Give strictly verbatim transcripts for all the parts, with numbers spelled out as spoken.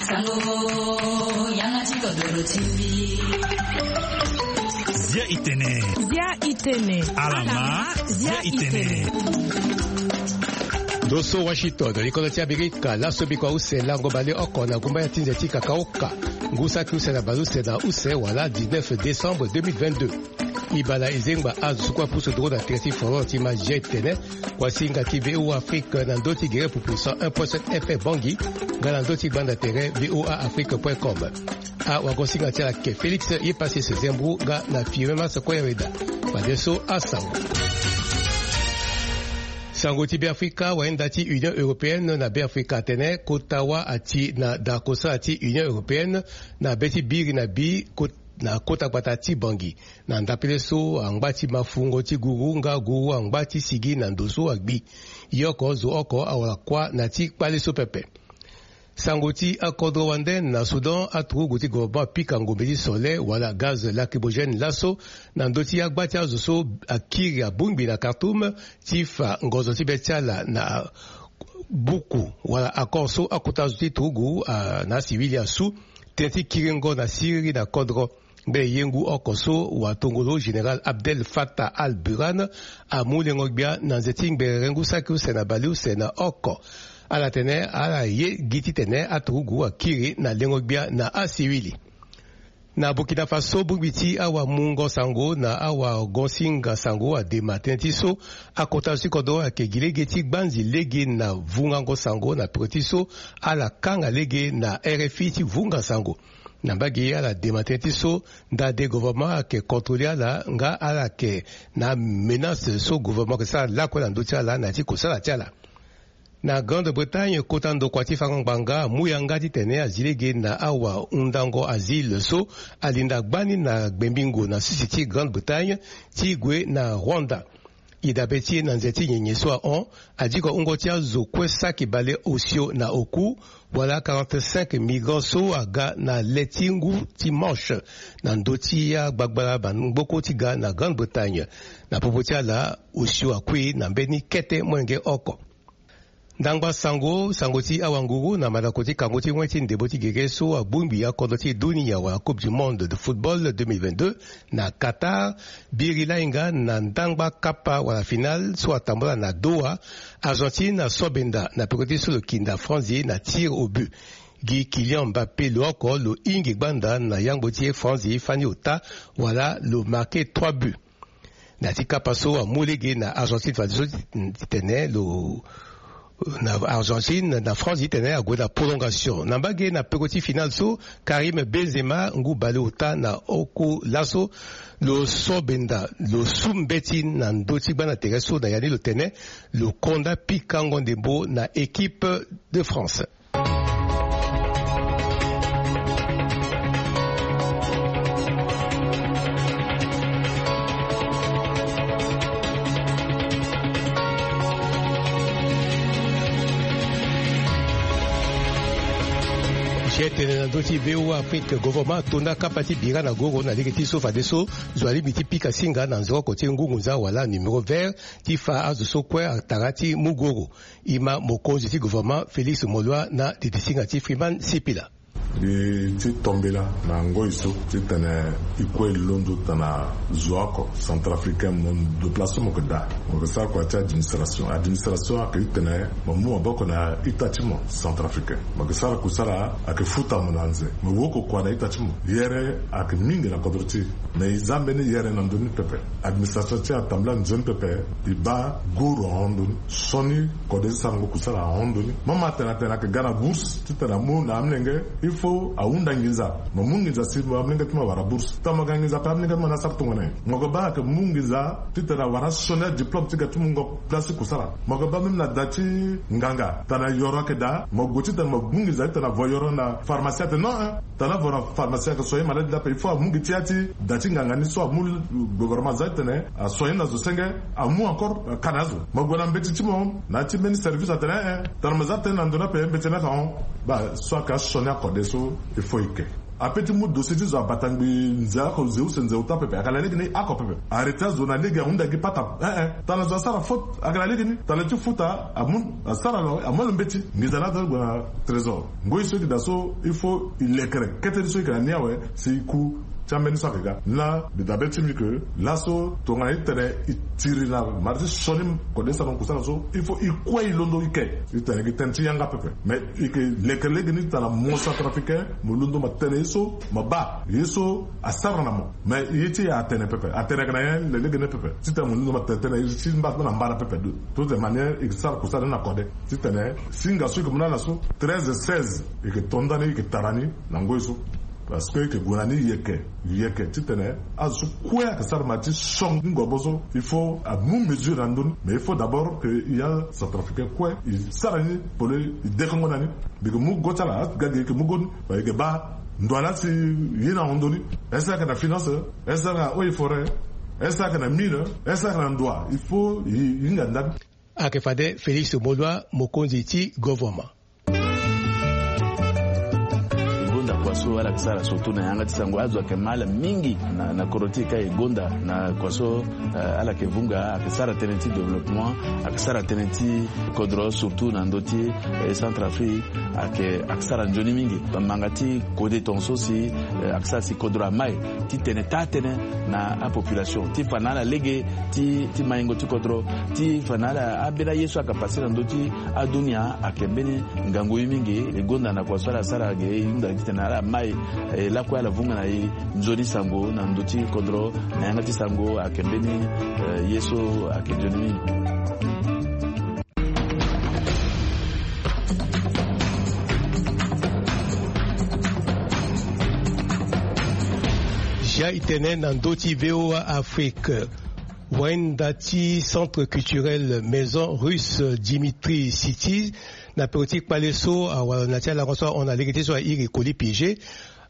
Sango, yanga ti kodoro ti mbi. Zia i tene. Zia i tene. Alama, zia i tene. Ndo so Washington, likodro ti Amerika, laso biko use lango baleoko na gumba ya ti nze ti kakaoka. Ngu saki use na baleuse na use wala dix-neuf décembre deux mille vingt-deux. Ibala ezengba azo so kue apusu nduru na tere ti folon ti ma zia i tene. Kuasinga ti V O A Afrique na ndö ti gere pupu cent un point sept F M Bangui, nga na ndö ti gbanda tere V O A Afrique point com. Awagosinga ti ala ke Félix ye pase se zembru nga na Firmin Masoko ya weda. Fadeso asango. Sango ti Beafrika, wayenda ti Union Européenne na Beafrika atene kota wâ ati na da kosala ti Union Européenne na be ti biri na bi ko-, na kota gbata ti Bangui. Na ndapele so angba ti mafungo ti guru nga guru angba ti sigi na ndo so agbi. Ye oko zo oko awara kuâ na ti kpale so pepe. Sango ti akodro wande na Soudan, aturugu ti gouvernement apika ngombe ti sole wala gaz lacrymogène laso na ndö ti agba ti azo so akiri abongbi na Khartoum ti fa ngonzo ti be ti ala na buku wala accord so akota zo ti turugu, ah, na asiwili asu tënë ti kiringo na siriri na kodro. Mbe ye ngu oko so watongolo général Abdel Fattah al-Burhan amu lengo-gbia na nze ti ngbere ngu saki use na baleuse na oko. Ala tene ala ye gi titene aturugu akiri na lengo-gbia na asiwili. Na Burkina Faso, bongbi ti awamungo sango na awagosinga sango adema tënë ti so akota zo ti kodro ayeke gi lege ti gbanzi lege na vungango sango na peko ti so ala kanga lege na R F I ti vunga sango. Na mbage ala dema tënë ti so ndade gouvernement ayeke contrôler ala nga ala yeke na menace so gouvernement ayeke sara lakue na ndö ti ala na ya ti kosala ti ala. Na Grande-Bretagne, kota ndokua ti fango ngbanga amu yanga titene azi lege na awahundango asile so alinda gbani na gbembingo na sisi ti Grande-Bretagne ti gue na Rwanda. E dabe ti e na nze ti nyenye so ahon, adiko wungo ti azo kue saki bale osio na oku, wala quarante-cinq migrants so aga na le ti ngu ti Manche na ndö ti agbagbala bangboko ti ga na Grande-Bretagne. Na popo ti ala, osio akui na mbeni kete molenge oko. Ndangba sango, sango ti awanguru na mandako ti kango ti wen ti ndembo ti gere so abongbi akodro ti dunia wala Coupe du Monde de football deux mille vingt-deux na Qatar, biri lainga na ndangba kapa wala finale so atambula na Doha. Argentine asobenda na peko ti so lo kinda Franzi na tir au but. Gi Kylian Mbappé lo oko lo hingi gbanda na yangbo ti e Franzi fani ota wala lo marqué trois buts. Na ti kapa so amu lege na Argentine fadeso titene lo na Argentine na France titene ague na prolongation. Na mbage na peko ti finale so, Karim Benzema ngu baleota na oko laso lo so benda lo su mbeti na ndö ti gbanda tere so na ya ni lo tene lo konda pikango ndembo na équipe de France. Tene na ndö ti V O A Afrique, gouvernement atonda kapa ti bira na goro na lege ti so fadeso zo alingbi ti pika singa na nzoroko ti ngungu nza wala numéro vert ti fa azo so kue atara ti mu goro. E ma mokonzi ti gouvernement Félix Moloua na didi singa ti Freeman Sipila. Mbi ti tombela na ngoi so titene e kue e londo tana zo oko centrafricain mo ndo place so mo yeke daa. Mo yeke sara kua ti administration. Administration ayeke titene mo mu maboko na ita ti mo centrafricain. Mo yeke sara kusala ayeke futa mo na nze. Mo woko kua na ita ti mo. Yere ayeke mingi na kodro ti e. Me e za mbeni yere na ndö ni pepe. Administration ti e atambula nzoni pepe. E baa guru ahon ndö ni. Sioni kode ti sarango kusala ahon ndö ni. Mo ma tene atene ayeke ga na bourse titene amu na amolenge. Il faut ahunda nginza. Mo mu nginza si mo amolenge ti mo awara bourse. Tongana mo ga nginza ape amolenge ti mo ni asara tongana nyen? Mo yeke baa ayeke mu nginza titene awara sioni adiplôme ti ga ti mungo place ti kusala. Mo yeke baa même na da ti nganga tongana yoro ayeke daa mo gue titene mo mu nginza titene avo yoro na pharmacie atene non, hein. Tongana avo na pharmacie ayeke soigner malade ni ape il faut amu gi ti ya ti da ti nganga ni so amu. Gouvernement aza titene asoigner na zo senge. Amu encore, euh, ka na azo. Mo gue na mbeti ti mo na ya ti mbeni service atene, eh, eh, tongana mo za tënë na ndo ni ape mbeti ni ayeke ahon. Baa so ayeke asioni akode so il faut e ke. Ape ti mu dossier ti zo abata ngbi nze oko, nze use, nze uta pepe. Ayeke na lege ni oko pepe. Arrêté azo na lege, ahunda gi pata. Eh, eh. Tana zo asara faute, ayeke na lege ni. Tana ti futa amu, asara lo, amu lo mbeti. Nginza ni aza gue na trésor. Ngoi so e yeke daa so, il faut e lekere kete ni so e yeke na ni awe, si e ku ti ambeni so ayeke ga. Laa mbi dabe ti mbi ke laso tongana e tene e tiri na mara ti sioni kode sarango kusala so, il faut e kue e londo e ke. E tene gi tënë ti yanga pepe. Mais e yeke leke lege ni tana mo centrafricain, mo londo ma tene ye so ma baa, ye so asara na mo. Mais ye ti e atene pepe, atene ayeke na nyen? Lelege ni pepe. Titene mo londo ma tene tënë ye ti mba na mbara pepe. De toutes les manières e yeke sara kusala ni na kode. Titene singa so e yeke mu na ala so, treize seize, e yeke to ndani, e yeke tara ni na ngoi so. Parce que e yeke gue na ni yeke yeke titene azo so kue ayeke sara ma ti son ngombo so, il faut amu mesure na ndö ni. Mais il faut d'abord que e ya centrafricain kue e sara ni pole, e dekongo na ni. Mbi yeke mu go ti ala, aga gi e yeke mu go ni, ma e yeke baa ndo ala si e ye na hondo ni. Est-ce que ayeke na finance? Est-ce que ayeke na eaux et forêts? Est-ce que ayeke na mine? Est-ce que ayeke na ndoa? Il faut e, e hinga ndani. Ayeke fade Félix Moloua, mokonzi ti govoama. E gonda kua so ala yeke sara surtout na yanga ti sango. Azo ayeke ma ala mingi na, na kodro ti e ka e gonda na kua so, eh, ala yeke vunga, ayeke sara tënë ti développement, ayeke sara tënë ti kodro surtout na ndö ti, eh, Centrafrique, ayeke, ayeke sara nzoni mingi. Manga ti kode tongaso si, eh, ayeke sara si kodro amai ti tene taa tënë na apopulation ti fa na ala lege ti, ti maingo ti kodro, ti fa na ala ambeni aye so ayeke pase na ndö ti adunia ayeke mbeni ngangu ye mingi. E gonda na kua so ala sara ge, e hunda titene ala mai, eh, lakue ala vunga na e nzoni sango na ndö ti kodro, na yanga ti sango ayeke mbeni, eh, ye so ayeke nzoni mingi. Zia e tene na ndö ti V O A Afrique. Wainda ti Centre Culturel Maison Russe Dimitri City, na peko ti kpale so awara na ti alango so ahon na lege ti so airi Koli Pige,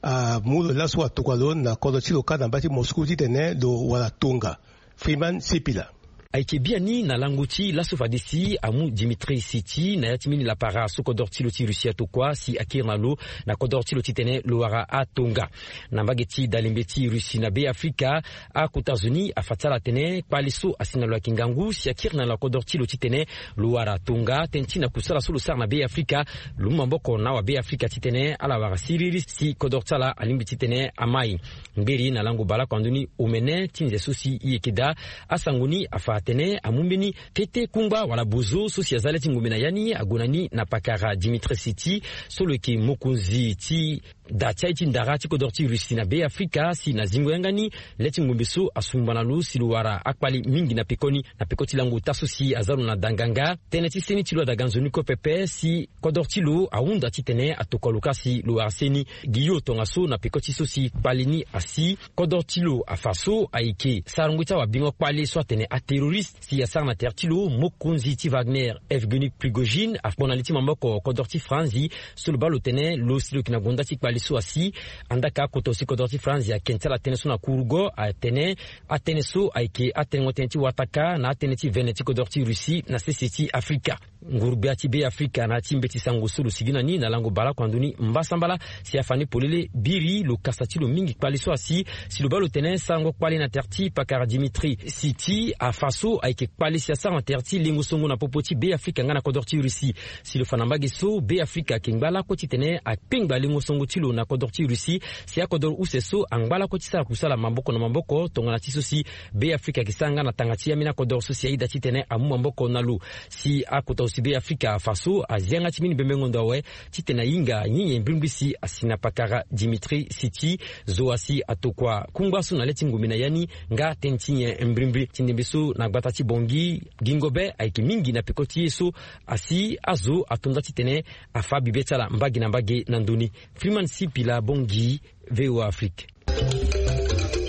amu lo laso atokua lo na kodro ti lo kâ na mbage ti Moscou titene lo wara tonga. Freeman Sipila. Ayeke biani na lango ti laso fade si amu Dimitri City na ya ti mbeni lapara so kodro ti lo ti Russie atokua si akiri na lo na kodro ti lo titene lo wara atonga. Na mbage ti dalembe ti Russie na Be Afrika, akota zo ni afa ti ala atene kpale so asi na lo ayeke ngangu si akiri na lo na kodro ti lo titene lo wara tonga. Tënë ti na kusala so lo sara na Be Afrika, lo mu maboko na awabe Afrika titene ala wara siriri si kodro ti ala alingbi titene amai. Ngberi na lango baleoko na ndö ni omene ti nze so si e yeke daa, asango ni afa atene amu mbeni kete kungba wala bozo so si aza le ti ngombe na ya ni ague na ni na pakara Dimitri City so lo yeke mokonzi ti da ti aye ti ndara ti kodro ti Russie na Be Afrika, si na zingo yanga ni le ti ngombe so asumba na lo si lo wara akpale mingi na pekoni. Na peko ti lango ota so si aza lo na da nganga, tënë ti seni ti lo adaga nzoni kue pepe si kodro ti lo ahunda titene atokua lo kâ si lo wara seni. Gi yo tongaso na peko ti so si kpale ni asi, kodro ti lo afa so ayeke sarango ti awabingo kpale so atene aterroriste si asara na tere ti lo, mokonzi ti Wagner Evgeny Prigojine akpo na li ti maboko kodro ti Franzi so lo baa lo tene lo si lo yeke na gonda ti kpale so asi. Andaa ka akota aussi kodro ti Franzi ayeke ti ala tënë so na kurugo atene atënë so ayeke atenengo tënë ti wataka na atënë ti vene ti kodro ti Russie na sese ti Afrika. Nguru-gbia ti Be Afrika na ya ti mbeti sango so lo sigi na ni na lango baleoko na ndö ni mbasambala si afa ni polele biri lo kasa ti lo mingi kpale so asi, si lo baa lo tene sarango kpale na tere ti pakara Dimitri City afa so ayeke kpale si asara na tere ti lengo songo na popo ti Be Afrika nga na kodro ti Russie. Si lo fa na mbage so Be Afrika ayeke ngba lakue titene akpengba lengo songo ti lo na kodro ti Russie, si akodro use so angba lakue ti sara kusala maboko na maboko tongana ti so si Be Afrika ayeke sara nga na tanga ti ambeni akodro so si aye daa titene amu maboko na lo. Si akota aussi Be Afrika afa so azia nga ti mbeni bembengo ndo awe titene ahinga nyen nyen mbrimbri si asi na pakara Dimitri City. Zo asi atokua kungba so na le ti ngombe na ya ni nga tënë ti nyen mbrimbri. Ti ndembe so na gbata ti Bangui, gingo be ayeke mingi na peko ti ye so asi azo ato nda titene afa bibe ti ala mbage na mbage na ndö ni. Freeman Sipila, Bangui, V O A Afrique.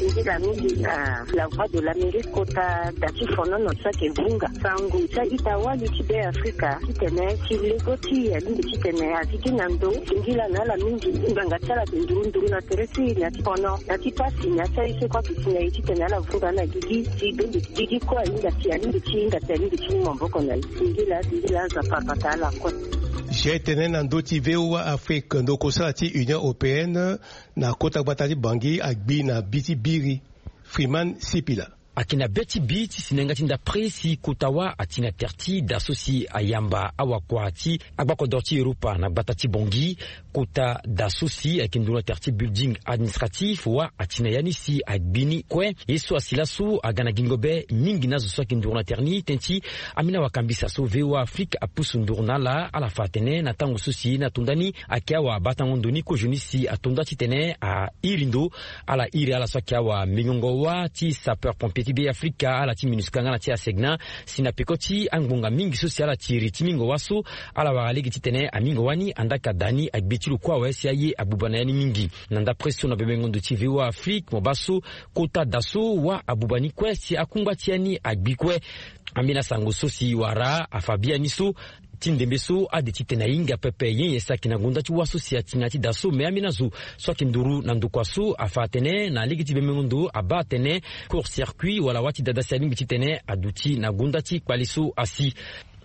Nzila mingi na La Voix de l'Amérique kota da ti fonono so ayeke vunga sango ti a-ita wali ti Be Afrika titene ti lego ti e alingbi titene aziki na ndo. Singila na ala mingi, ngbanga ti ala ayeke nduru nduru na tere ti e na ya ti fono, na ya ti pasi, na ya ti aye so kue ayeke si na e titene ala vunga na gigi si bembe ti gigi kue ahinga si alingbi ti hinga si alingbi ti mu maboko na e. Singila, singila, Nzapa abata ala kue. Tene na ndö ti V O A Afrique, ndokosala ti Union Européenne na kota gbata ti Bangui agbi na bi ti biri. Freeman Sipila. Ayeke na be ti bi ti si na yanga ti ndapre si kota wâ ati na tere ti da so si ayamba awakua ti agbakodoro ti Europa na gbata ti Bangui. Kota da so si ayeke nduru na tere ti building administratif wâ ati na ya ni si agbi ni kue. Ye so asi laso aga na gingo be mingi na azo so ayeke nduru na tere ni tënë ti ambeni awakambisa so V O A Afrique apusu nduru na ala. Ala fa atene na tango so si na tonda ni ayeke awabatango ndo ni kozo ni si atonda titene airi ndo. Ala iri ala so ayeke awamingongo wâ ti sapeur pompier ti Be Afrika, ala ti MINUSCA nga na ti ASECNA, si na peko ti angbonga mingi so si ala tiri ti mingo wâ so, ala wara lege titene amingo wâ ni andaa ka da ni agbe ti lo kue awe si aye abuba na ya ni mingi. Na ndapre so na bebengo ndo ti V O A Afrique mo baa so kota da so wâ abuba ni kue si akungba ti ya ni agbi kue. Ambeni asango so si wara afa biani so ti ndembe so ade titene ahinga pepe nyen nyen si ayeke na gonda ti wâ so si ati na ya ti da so. Me ambeni azo so ayeke nduru na ndokua so afa atene na lege ti bemengo ndo abaa atene court circuit wala wâ ti dada si alingbi titene aduti na gonda ti kpale so asi.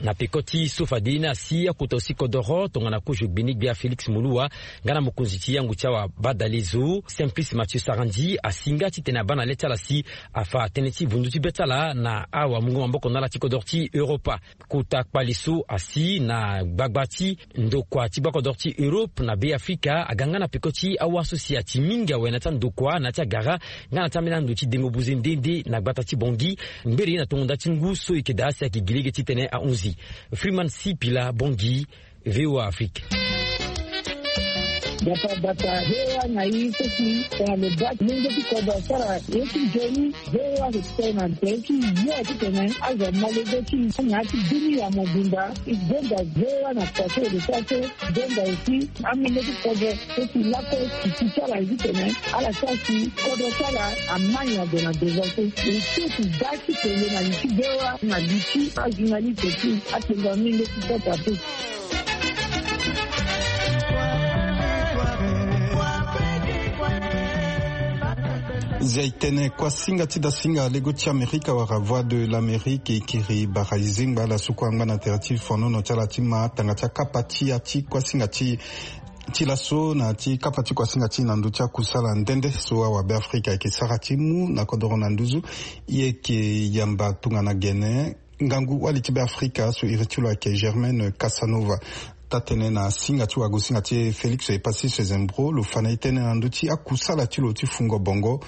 Na peko ti so fade ye ni asi akota aussi kodoro tongana kozo gbenegbia Félix Moloua nga na mokonzi ti yango ti awabadale zo Simplice Mathieu Sarandji asi nga titene abaa na le ti ala si afa tënë ti vundu ti be ti ala na awamungo maboko na ala ti kodoro ti Europa. Kota kpale so asi na gbagba ti ndokua ti gbakodoro ti Europe na Be Afrika aga nga na peko ti awâ so si ati mingi awe na ya ti andokua na ya ti agara nga na ya ti ambeni ando ti dengo buze nde nde na gbata ti Bangui. Ngbere ye na tongo nda ti ngu so e yeke daa si ayeke gi lege titene ahunzi. Freeman Sipila, Bangui, V O A Afrique. Bata bata, V O A na i so si tongana lo baa ti lenge ti kodro asara ye ti nzoni. V O A ayeke tene na tere ti yo titene azo amolenge ti na ya ti bini ya mobimba. E gonda V O A na kua so e lo sara so. E gonda aussi amolenge ti kodro so si lakue ti ti ti ala ye titene ala sara si kodro ti ala ama nyen ague na devant so. E so si baa ti tene na li ti V O A na li ti ajournaliste ti atene mingi ti kota te. Zia e tene kuasinga ti dasinga lego ti Amerika wala Voix de l'Amérique e kiri bara e zengba ala so kue angba na tere ti fonono ti ala ti ma tanga ti akapa ti ya ti kuasinga ti ti laso na ti kapa ti kuasinga ti na ndö ti akusala nde nde so awabe Afrika ayeke sara ti mu na kodoro na nduzu. E yeke yamba tongana gene ngangu wali ti Be Afrika so iri ti lo ayeke Germaine Casanova. Taa-tënë na singa ti wagosinga ti e Félix Epassis Sezembro lo fa na e tënë na ndö ti akusala ti lo ti fungo bongo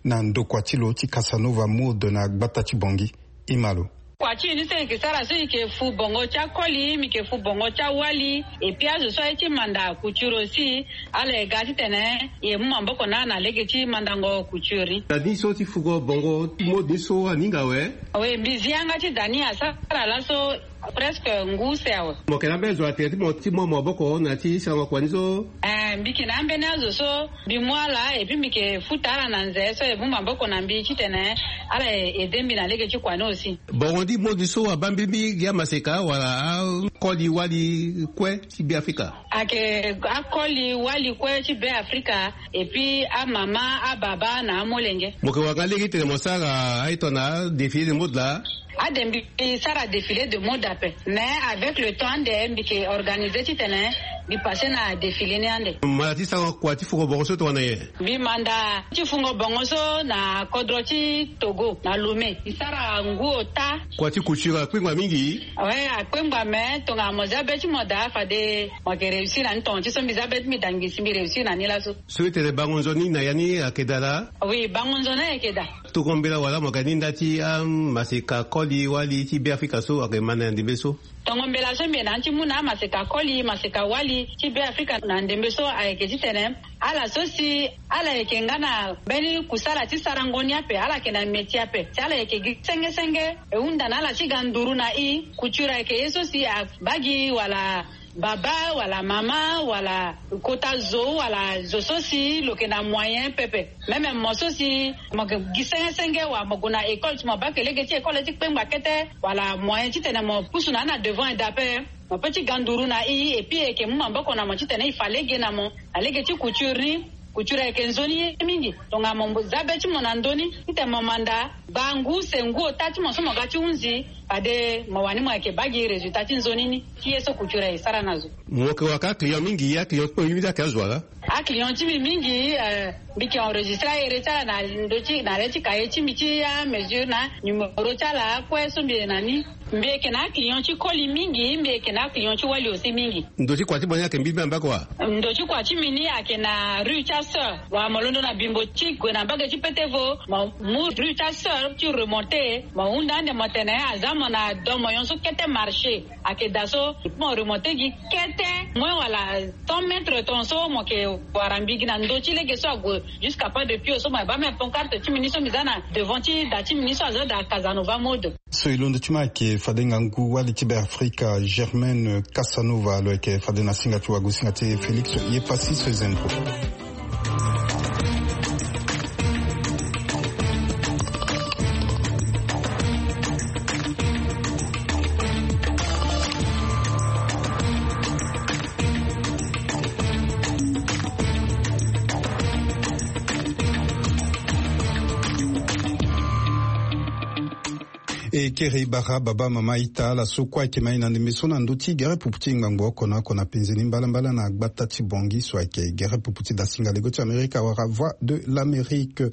na ndokua ti lo ti Casanova Mode na gbata ti Bangui. E ma lo. Kua ti e ni so e yeke sara so e yeke fu bongo ti akoli, mbi yeke fu bongo ti awali. Et puis azo so aye ti manda couture aussi, ala ye ga titene e mu maboko na ala na lege ti mandango couture ni. Na ni so ti fugo bongo mode ni so aninga awe? Oui, mbi zi yanga ti da ni asara laso presque ngu use awe. Mo yeke na ambeni zo na tere ti mo ti mu maboko na ya ti sarango kua ni so? Eh, mbi yeke na ambeni azo so mbi mu ala et puis mbi yeke futa ala na nze so e mu maboko na mbi titene ala e aide mbi na lege ti kua ni aussi. Bongo ni mode so abaa mbirimbi gi amaseka wala akoli wali kue ti Be Afrika? Ayeke akoli wali kue ti Be Afrika et puis amama, ababa na amolenge. Mo yeke wara nga lege titene mo sara aye tongana défilé de mode laa? Ade mbi sara défilé de mode ape, mais avec le temps ande mbi yeke organisé titene mbi passé na défilé ni ande. Mo manda ti sara kua ti fugo bongo so tongana nyen? Mbi manda ti fungo bongo so na kodro ti Togo na Lomé. Mbi sara ngu ota. Kua ti couture akpengba mingi? Oui, akpengba, me tongana mo zia be ti mo daa fade mo yeke réussir na ni. Tonga ti so mbi zia be ti mbi daa ngi si mbi réussir na ni laso. So e tene bango nzoni na ya ni ayeke daa laa? Oui, bango nzoni ayeke daa. Tongo mbela wala mo yeke na ni nda ti amaseka koli wali ti Be Afrika so ayeke ma na ndembe so? Tongo mbela so mbi yeke na ni ti mu na amaseka koli, maseka wali ti Be Afrika na ndembe so ayeke titene ala so si ala yeke nga na mbeni kusala ti sarango ni ape, ala yeke na métier ape, si ala yeke gi senge senge, e hunda na ala ti ga nduru na e. Couture ayeke ye so si abaa gi wala baba wala mama wala kota zo wala zo so si lo yeke na moyen pepe. Même mo so si mo yeke gi senge senge wala mo gue na école, si mo baa ke lege ti école ti kpengba kete wala moyen titene mo pusu na ni na devant e daa ape, mo peut ti ga nduru na e, et puis e yeke mu maboko na mo titene e fa lege na mo na lege ti couture ni. Kucura ayeke nzoni ye mingi. Tongana mo za be ti mo na ndö ni titene mo manda gba ngu use ngu ota ti mo so mo ga ti hunzi, fade mo wani mo yeke baa gi résultat ti nzoni ni. Ti ye so kucura e sara na zo. Mo yeke wara ka aclient mingi, aclient ti mo mingi ayeke azo wa ga? Aclient ti mbi mingi, eh, mbi yeke enregistré ahere ti ala na ndö ti na le ti cahier ti mbi ti amesure na numéro ti ala akue so mbi ye na ni. Mbi yeke na aclient ti koli mingi, mbi yeke na aclient ti wali aussi mingi. Ndo ti kua ti mo ni ayeke mbi mbi amba kua? Ndo ti kua ti mbi ni ayeke na rue ti aseur. Wala mo londo na bimbo ti gue na mbage ti petevo, mo mu rue ti aseur ti remonté, mo hunda ande mo tene aza mo na do mo yonso kete marché. Ayeke daa so mo remonté gi kete moins wala cent mètres ton so mo yeke wara mbi gi na ndo ti lege so ague jusqu'à pas de pied so mo yeke baa même pancarte ti mbi ni so mbi za na devant ti da ti mbi ni so aza da Casanova mode. So e londo ti ma ayeke fade ngangu wali ti Beafrika Germaine Casanova, lo yeke fade na singa ti wagosinga ti e Félix Yepassi so e zembro. E kere e bara baba mama ita ala so kue ayeke ma e na ndembe so na ndö ti gere pupu ti ngbangbo oko na oko na penze ni mbalambala na gbata ti Bangui so ayeke gere pupu ti dasinga lego ti Amerika wala Voix de l'Amérique.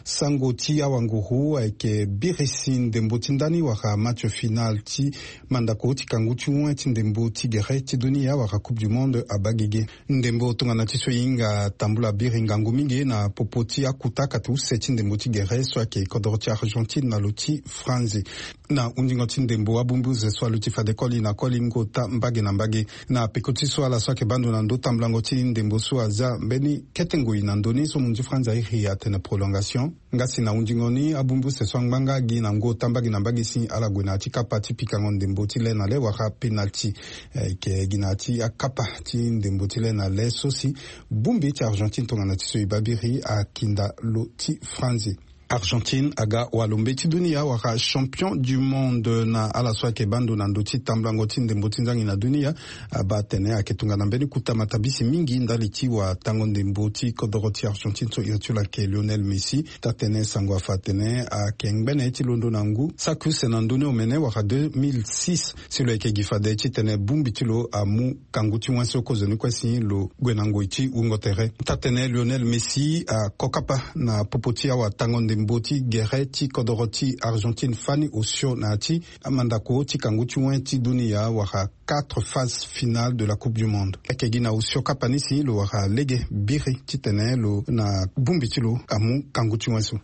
Sango ti awanguru ayeke biri si ndembo ti ndani wala match final ti mandako ti kangu ti wen ti ndembo ti gere ti dunia wala Coupe du Monde abaa gege. Ndembo tongana ti so e hinga tambula biri ngangu mingi na popo ti akuta kate use ti ndembo ti gere so ayeke kodoro ti Argentine na lo ti Franzi. Na hundingo ti ndembo abongbi use so aluti fade koli na koli ngota mbage na mbage. Na peko ti so ala so ayeke baa ndo na ndö tambulango ti ndembo so aza mbeni kete ngoi na ndö ni so munzu ti Franzi airi atene prolongation. Nga si na hundingo ni abongbi use so angbanga gi na ngota mbage na mbage si ala gue na ya ti kapa ti pikango ndembo ti le na le wala penalti. Eh, e yeke gi na ya ti akapa ti ndembo ti le na le so si bongbi ti Argentine tongana ti so e baa biri akinda lo ti Franzi. Argentine aga walombe ti dunia wala champion du monde na ala so ayeke baa ndo na ndö ti tambulango ti ndembo ti nzangi na dunia. Abaa atene ayeke tongana mbeni kuta matabisi mingi ndali ti watango ndembo ti kodoro ti Argentine so iri ti lo ayeke Lionel Messi. Taa-tënë sango afa atene ayeke ngbene ti londo na ngu saki use na ndö ni omene wala deux mille six si lo yeke gi fade titene bongbi ti lo amu kangu ti wen so kozoni kue si lo gue na ngoi ti wungo tere. Taa-tënë Lionel Messi ako kapa na popo ti awatango ndembo ti gere ti kodoro ti Argentine fani osio na ya ti amandako ti kangu ti wen ti dunia wala quatre phases finales de la Coupe du Monde. Ayeke gi na osio kapa ni si lo wara lege biri titene lo na bongbi ti lo amu kangu ti wen so.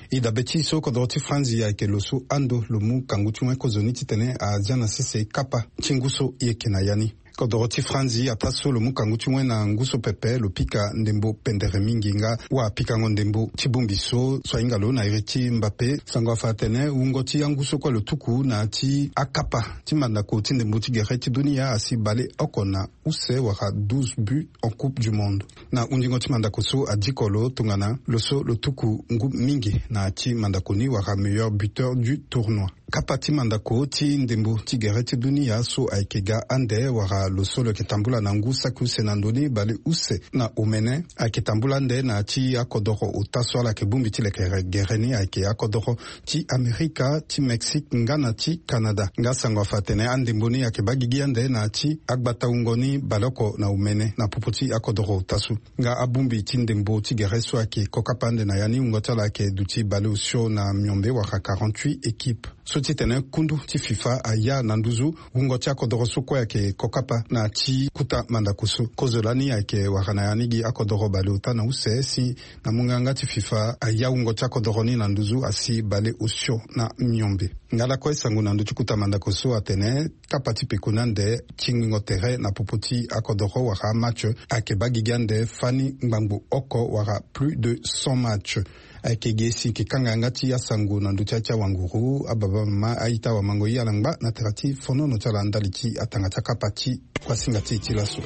E dabe ti e so kodoro ti Franzi ayeke lo so ando lo mu kangu ti wen kozoni titene azia na sese kapa ti ngu so e yeke na ya ni. Kodoro ti Franzi ataa so lo mu kangu ti wen na ngu so pepe lo pika ndembo pendere mingi nga wapikango ndembo ti bongbi so so ahinga lo na iri ti Mbappé. Sango afa atene wungo ti angu so kue lo tuku na ya ti akapa ti mandako ti ndembo ti gere ti dunia asi baleoko na use wala douze buts en Coupe du Monde. Na hundingo ti mandako so adiko lo tongana lo so lo tuku ngu mingi na ya ti mandako ni wala meilleur buteur du tournoi. Kapa ti mandako ti ndembo ti gere ti dunia so ayeke ga ande wala lo so lo yeke tambula na ngu saki use na ndö ni baleuse na omene ayeke tambula ande na ya ti akodoro ota so ala yeke bongbi ti lekere gere ni ayeke akodoro ti Amerika, ti Mexique nga na ti Canada. Nga sango afa atene andembo ni ayeke baa gigi ande na ya ti agbata wungo ni baleoko na omene na popo ti akodoro ota so. Nga abongbi ti ndembo ti gere so ayeke kokapa ande na ya ni wungo ti ala ayeke duti baleosio na miombe wala quarante-huit équipes. So titene kundu ti FIFA aya na nduzu wungo ti akodoro so kue ayeke kokapa na ya ti kuta mandako so. Kozo lani ayeke wara na ya ni gi akodoro baleota na use si na mungo yanga ti FIFA aya wungo ti akodoro ni na nduzu asi baleosio na miombe. Nga lakue sango na ndö ti kuta mandako so atene kapa ti peko ni ande ti ngingo tere na popo ti akodoro wala match ayeke baa gigi ande fani ngbangbo oko wala plus de cent match. Ayeke gi e si e yeke kanga yanga ti asango na ndö ti ya ti awanguru. Ababa mama a-ita wamango ye ala ngba na tere ti fonono ti ala ndali ti atanga ti akapa ti kuasinga ti e ti laso.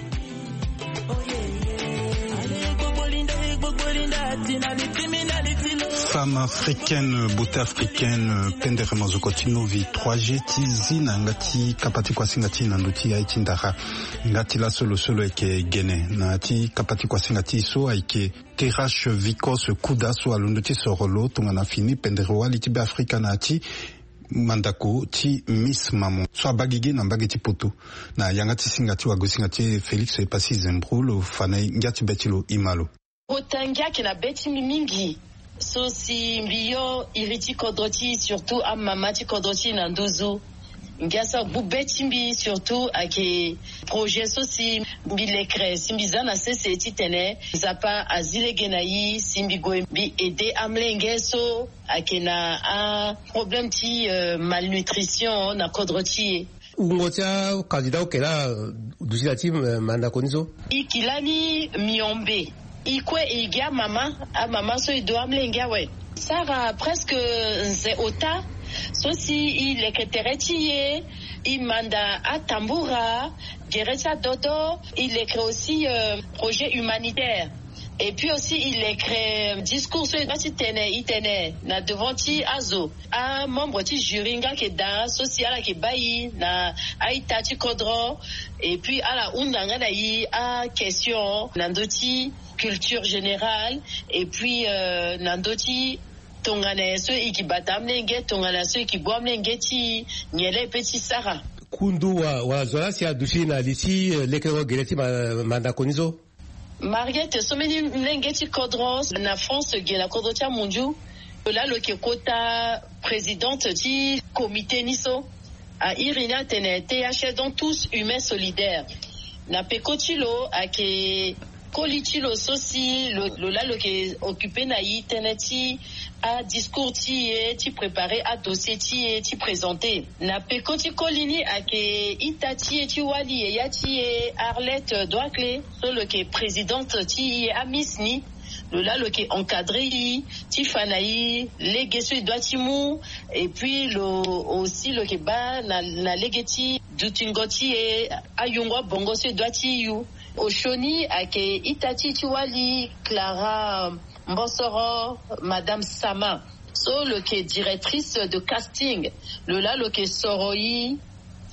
Femme africaine, beauté africaine, pendere mazoko ti novi trois g ti zi na yanga ti kapa ti kuasinga ti na ndo ti aye ti ndara. Nga ti laso lo so lo yeke gene na ya ti kapa ti kuasinga ti so ayeke Terrache Vicos Kuda so alondo ti soro lo tongana fini pendere wali ti Be Afrika na ya ti mandako ti Miss Maman so abaa gigi na mbage ti poto. Na yanga ti singa ti wagosinga ti e Félix Epassi Zembro lo fa na e ngia ti be ti lo ima lo. Kota ngia ayeke na be ti mbi mingi. So si mbi yo iri ti kodro ti e, surtout amama ti kodro ti e na nduzu. Ngia so agbu be ti mbi surtout ayeke projet so si mbi lekere si mbi za na sese titene Nzapa azi lege na e si mbi gue mbi aide amolenge so ayeke na aproblème ti, euh, malnutrition na kodro ti e. Wungo ti acandidat oke laa, euh, duti na ya ti, euh, mandako ni so. E yeke lani miombe. E kue e gi amama, amama so e do amolenge awe. Sara presque nze ota so si e leke tere ti e, e manda atambura, gere ti adodo, e leke aussi, euh, projet humanitaire. Et puis aussi e leke discours so e doit ti tene, e tene na devant ti azo. Amembre ti jury nga ayeke daa so si ala yeke baa e na a-ita ti kodro. Et puis ala hunda nga na e aquestion na ndö ti culture générale. Et puis, euh, na ndö ti tongana nyen so e yeke bata amolenge, tongana nyen so e yeke gbu amolenge ti e, nyen laa e pe ti sara. Kundu wa, wala zo laa si aduti na li ti, euh, lekerengo gere ti ma, mandako ni so. Mariette, so mbeni molenge ti kodro na France ge na kodro ti amunzu. Lo laa lo yeke kota présidente ti comité ni so. A iri ni atene T H S, donc tous humains solidaires. Na peko ti lo ayeke koli ti lo so si lo, lo laa lo yeke occuper na e tënë ti adiscours ti e, ti préparer adossier ti e, ti présenter. Na peko ti koli ni ayeke ita ti e ti wali, yaya ti e Arlette Doakle, so lo yeke présidente ti e amiss ni. Lo laa lo yeke encadrer e ti fa na e lege so e doit ti mu. Et puis lo aussi lo yeke baa na, na lege ti dutingo ti e ayungo abongo so e doit ti yu. Osioni ayeke ita ti e ti wali Clara Mbosoro, Madame Sama, so lo yeke directrice de casting. Lo laa lo yeke soro e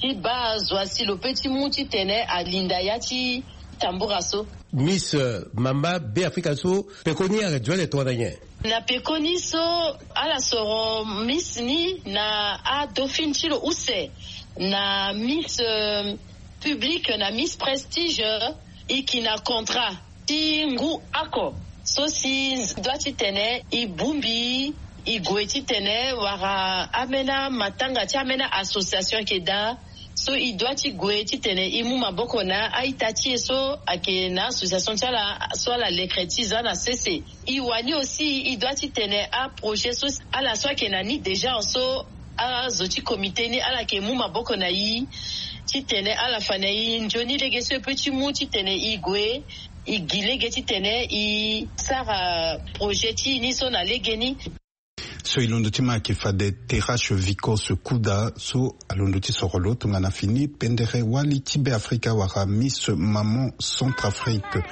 ti baa zo asi lo pe ti mu titene alinda ya ti tambura so. Miss, euh, mama Be Afrika so, pekoni ayeke duti tongana nyen? Na pekoni so, ala soro Miss ni na adauphine ti lo use, na Miss, euh, public, na Miss Prestige, e yeke na contrat ti ngu oko so si e doit titene e bongbi, e gue titene wara ambeni amatanga ti ambeni association ayeke daa. So e doit ti gue titene e mu maboko na a-ita ti e so ayeke na association ti ala so ala leke ti za na sese. E wani aussi e doit titene aprojet so ala so ayeke na ni déjà so azo ti comité ni ala yeke mu maboko na e titene ala fa na e nzoni lege so e pe ti mu titene e gue e gi lege titene e sara projet ti e ni so na lege ni. So e londo ti ma ayeke fade Terrache Vicos Kuda so alondo ti soro lo tongana fini pendere wali ti Be Afrika wala Miss Maman Centrafrique.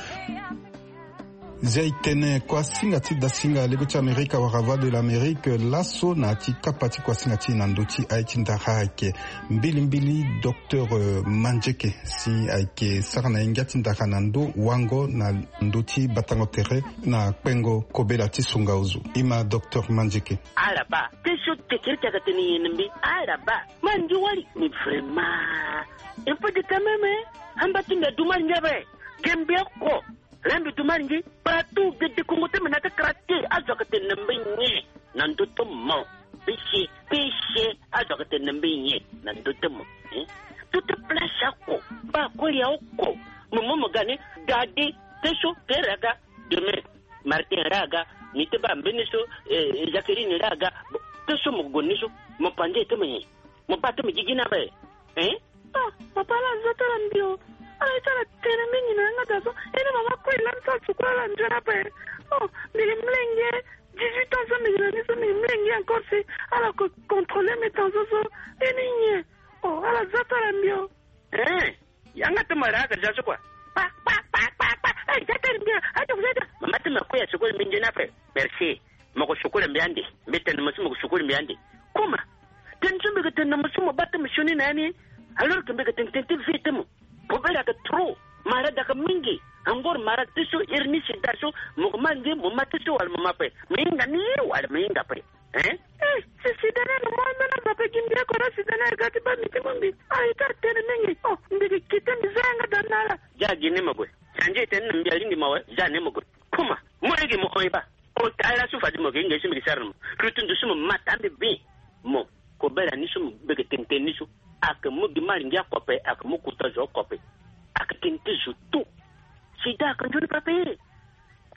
Zia e tene kuasinga ti dasinga lego ti Amerika wala Voix de l'Amérique laso na ya ti kapa ti kuasinga ti e na ndö ti aye ti ndara ayeke mbilimbili docteur, euh, Manzeke si ayeke sara na e ngia ti ndara na ndö wango na ndö ti batango tere na kpengo kobela ti songa ozo. Ima docteur Manzeke. Ala baa. Question tekiri ti ayeke tene nyen na mbi? Ala baa. Ma ngi wali. Mais vraiment, un peu de temps même, hein? Amba ti mbi adu ma ngia be. Ge mbi oko. Laa mbi du ma ngi. Partout, ge dekongo ti mbi na ti kara te. Azo ayeke tene na mbi nyen? Na ndö ti mo. Péché, péché. Azo ayeke tene na mbi nyen? Na ndö ti mo. Hein? Tout place oko. Baa koli ya oko. Mo mo mo ga ni. Gade. Te so, te raga. Demain. Martin raga. Ni te baa mbeni so, eh, Jacqueline raga. Bon, te so mo gue ni so. Mo pande te mo nyen? Mo baa ti mo gigi ni ape. Hein? Ah, papa, ala zia ti ala mbi o. Ala ye ti ala tene mingi na yanga daa so. E ni mama kue lani so ala suku ala nzoni ape. Oh, mbi gi molenge dix-huit ans so mbi gi na ni so, mbi gi molenge encore si ala ko contrôler mbi daa so so. E ni nyen? Oh, ala zia ti ala mbi o. Hein? Yanga ti mo raga zia so kua. Pa, pa, pa, pa, pa. Eh, zia ti ala mbi o. Ayo, zia ti ala. Mama ti mo kue ya suku mbi nzoni ape. Merci. Mo ko sukula mbi ande. Mbi tene mo so mo ko sukula mbi ande. Kuma. Tene so mbi ko tene na mo so mo bata mo sioni na yani. Alors que mbi ko tene tene ti vie ti mo. Pobele aka trop. Malade aka mingi. Angor malade ti so iri ni sida so. Mo ko ma nge mo ma ti so wala mo ma pe. Mo hinga ni wala mo hinga pe. Eh? Eh, si sida na no mo ambena mo pe gimbi ko na sida na ga ti ba mi ti mo mbi. Ai ta tene mingi. Oh, mbi ko kite mbi zanga da na la. Ja gi ni mo gwe. Sanje tene mbi alindi mo we. Ja ni mo gwe. Kuma. Mo ege mo oiba. O tara su fadi mo ke nge su mbi ke sara mo. Rutu ndu su mo mata mbi bi. Mo. Ko bera ni su mo bege tenten ni su. Ake mo gi mari ngia kope, ake mo kuta zo kope. Ake tenten zo tu. Sida ake njoni pape.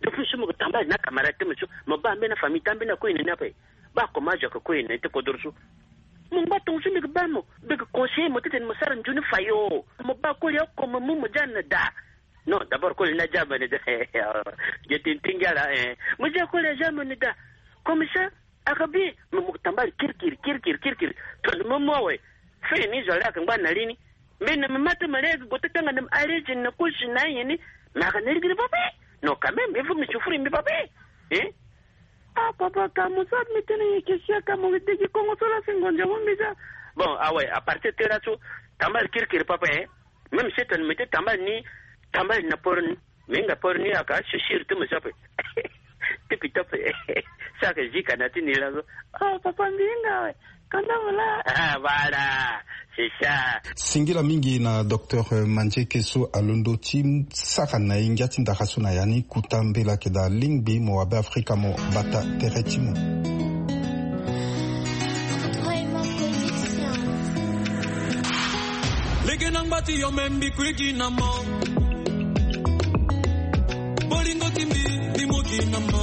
Depuis su mo ke tamba na camarade te mo su. Mo ba mbe na famille tambe na ko ine na pe. Ba ko ma zo ke ko ine te ko dor su. Mo ngba tong su mbi ke ba mo. Bege conseiller mo teten mo sara njoni fayo. Mo ba ko ya ko mo mu mo jan na da. Non, d'abord, ko na jamani da. Je tin tingala, eh. Mo ja ko na jamani da. Comme ça, aka bi, mo mo tambali kirkir, kirkir, kirkir. To mo mo we. Fe ni zo la ka ngba na lini. Mais na mata ma le go tanga na arrêté na ko sina yini. Ma ka na ligi papa. Non, quand même, il faut me souffrir, mais papa. Hein? Ah, papa, ka mo sa mi tene ye ke sia ka mo degi Kongo so la si ngonja mo mbi ja. Bon, ah ouais, à partir de là, tu tambali kirkir, papa, hein. Même si tu ne mettais tambali ni, tambali na porni. Minga porni aka, c'est sûr, tu me sapes. Tipi top. Ça que j'y canati ni là. Oh, papa, minga, ouais. Kanda voilà. Ah, voilà. C'est ça. Singila mingi na docteur Mandie Kesso alondo ti sara na ye ngia ti ndara so na ya ni kuta mbela ke da lingbi mo wabe Afrika mo bata tere ti mo. Lege na ngba ti yo me mbi kuigi na mo. Bolingo ti mbi, mbi mugi na mo.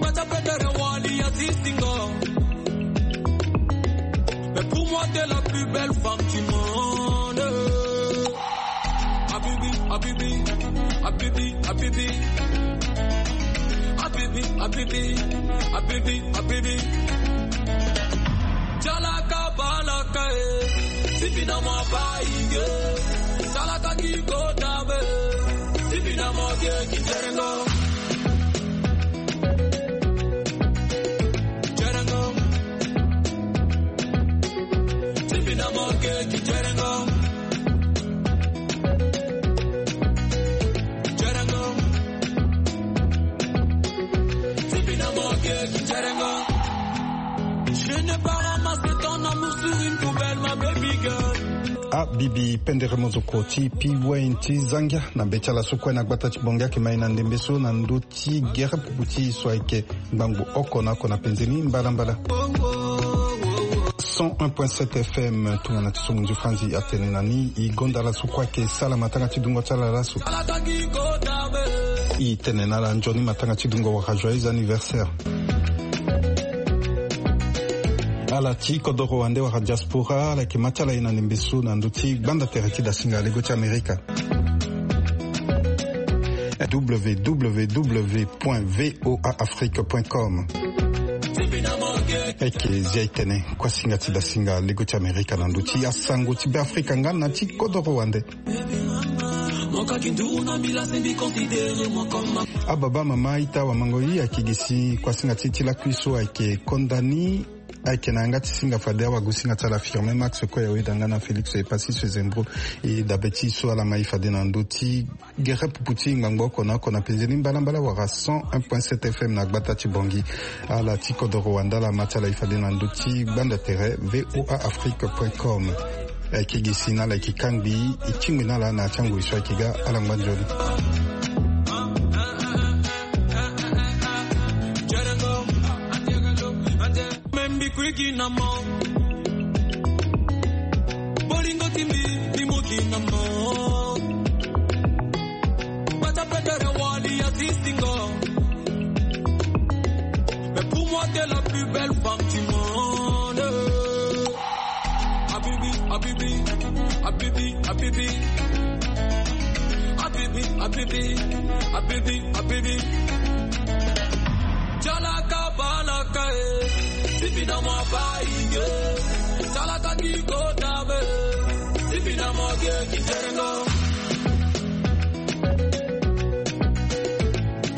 Bata pedere wali ya ti singo. Mais pour moi, t'es la plus belle femme du monde. Habibi, habibi, habibi, habibi. Habibi, habibi, habibi, habibi. Chalaka balaka, eh. Sibi na mo baige. Salaka ki kota be. Sibi na mo ge ki jerengo. Jerengo. Sibi na mo ge ki jerengo. Abibi pendere mozoko ti piwen ti zangia na be ti ala so kue na gbata ti bongi ake mai na ndembe so na ndö ti gere pupu ti e so ayeke ngbangbo oko na oko na penze ni mbalambala. Cent un point sept F M tongana ti so mo nzi franzi atene na ni e gonda ala so kue ayeke sala matanga ti dungo ti ala laso. E tene na ala nzoni matanga ti dungo wala joyeux anniversaire. Ala ti kodoro wande wala diaspora ala yeke ma ti ala ye na ndembe so na ndö ti gbanda tere ti dasinga lego ti amerika. Www point voa afrique point com. Eke zia e tene kuasinga ti dasinga lego ti amerika na ndö ti asango ti be afrika nga na ti kodoro wande. Ababa mama ita wamango i ayeke gi si kuasinga ti ti lakui so ayeke konda ni. Ayeke na yanga ti singa fade awagosinga ti ala firme max kue awe danga na félix epassis ezembro. E dabe ti so ala mai fade na ndö ti gere pupu ti ngbangbo oko na oko na penze ni mbalambala wala cent un point sept F M na gbata ti bongi. Ala ti kodoro wanda ala ma ti ala e fade na ndö ti gbanda tere voa afrique point com. Ayeke gi si na ala yeke kangbi e tingbi na ala na ya ti angoi so ayeke ga ala ngba nzoni. Bolingo ti mbi mbi muki na mo. Bata pedere wali ya ti singo. Mais pour moi t'es la plus belle femme du monde. Habibi, habibi, habibi, habibi. Habibi, habibi, habibi, habibi. Chalaka balaka, eh. Sibi na mo baige. Chalaka ki kota be. Sibi na mo ge ki jerengo.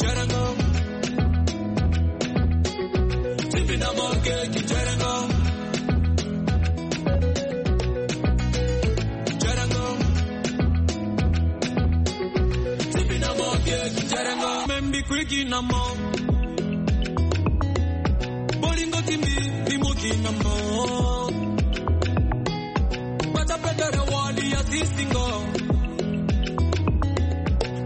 Jerengo. Quick in a mouth. Bolingo timbi, limo in a mouth. Pata pedere wali ya single.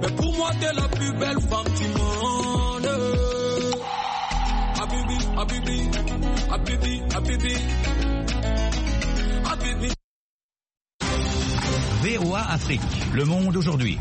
Mais pour moi, t'es la plus belle femme du monde. Habibi, Habibi, Habibi, Habibi. Habibi. V O A Afrique, le monde aujourd'hui.